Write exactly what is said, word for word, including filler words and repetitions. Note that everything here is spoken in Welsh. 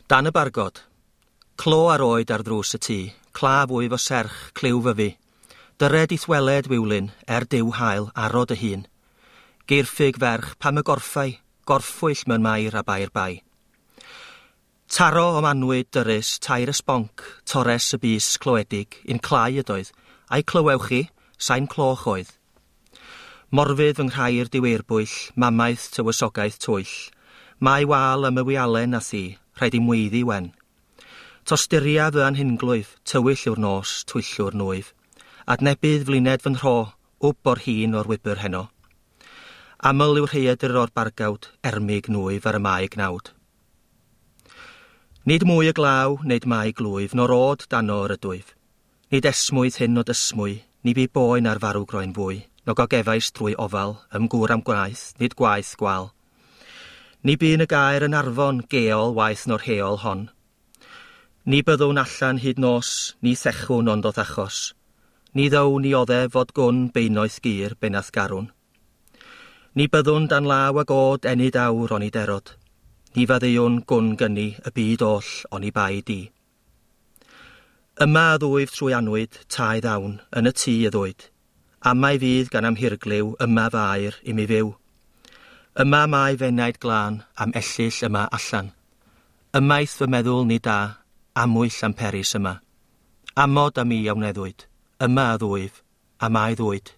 Dan y bargod. Clo ar oed ar ddrws y tŷ, claf wyf o serch, cliw fyfi. Dyred i'th weled, Wiwlyn, er diw hael, arod y hun. Geirffig ferch, pam y gorffai, gorffwyll mewn mair a bair bai. Taro o'm anwyd dyrys, tair ysbonc, torres y bys cloedig, un clai ydoedd, a'i clywewch chi, sain cloch oedd. Morfydd fy nghrair diweirbwyll, mamaeth tywysogaeth twyll. Mae wal am y wialen a thi, rhaid i'm weiddi wen. Tosturia fy anhunglwyf, tywyll yw'r nos, twyllw'r nwyf. Adnebydd flined fy nhro, wb o'r hun o'r wybr heno. Aml yw'r rhaeadr o'r bargawd, ermig nwyf ar y mae gnawd. Nid mwy y glaw, nid mae glwyf, nor od dano yr ydwyf. Nid esmwyth hyn o dysmwy, ni bu boen ar farw groen fwy, no gogefais drwy ofal, ymgŵr am gwaith, nid gwaith gwal. Ni bu'n y gair yn arfon, geol waeth no'r heol hon. Ni byddwn allan hyd nos, ni thechwn ond o'th achos. Ni ddown i oddef fod gwn beinoeth gyr benath garwn. Ni byddwn dan law ag od enid awr oni derod. Ni faddeuwn gwn gynni y byd oll oni bai di. Yma y ddwyf trwy anwyd, tai ddawn, yn y tŷ y ddwyd. Amau fydd gan amhirglyw, yma fair i mi fyw. Yma mae fenaid glân, am ellyll yma allan. Ymaith fy meddwl ni da, amwyll am peris yma. Amod am mi a wneddwyd, yma y ddwyf, a mae ddwyd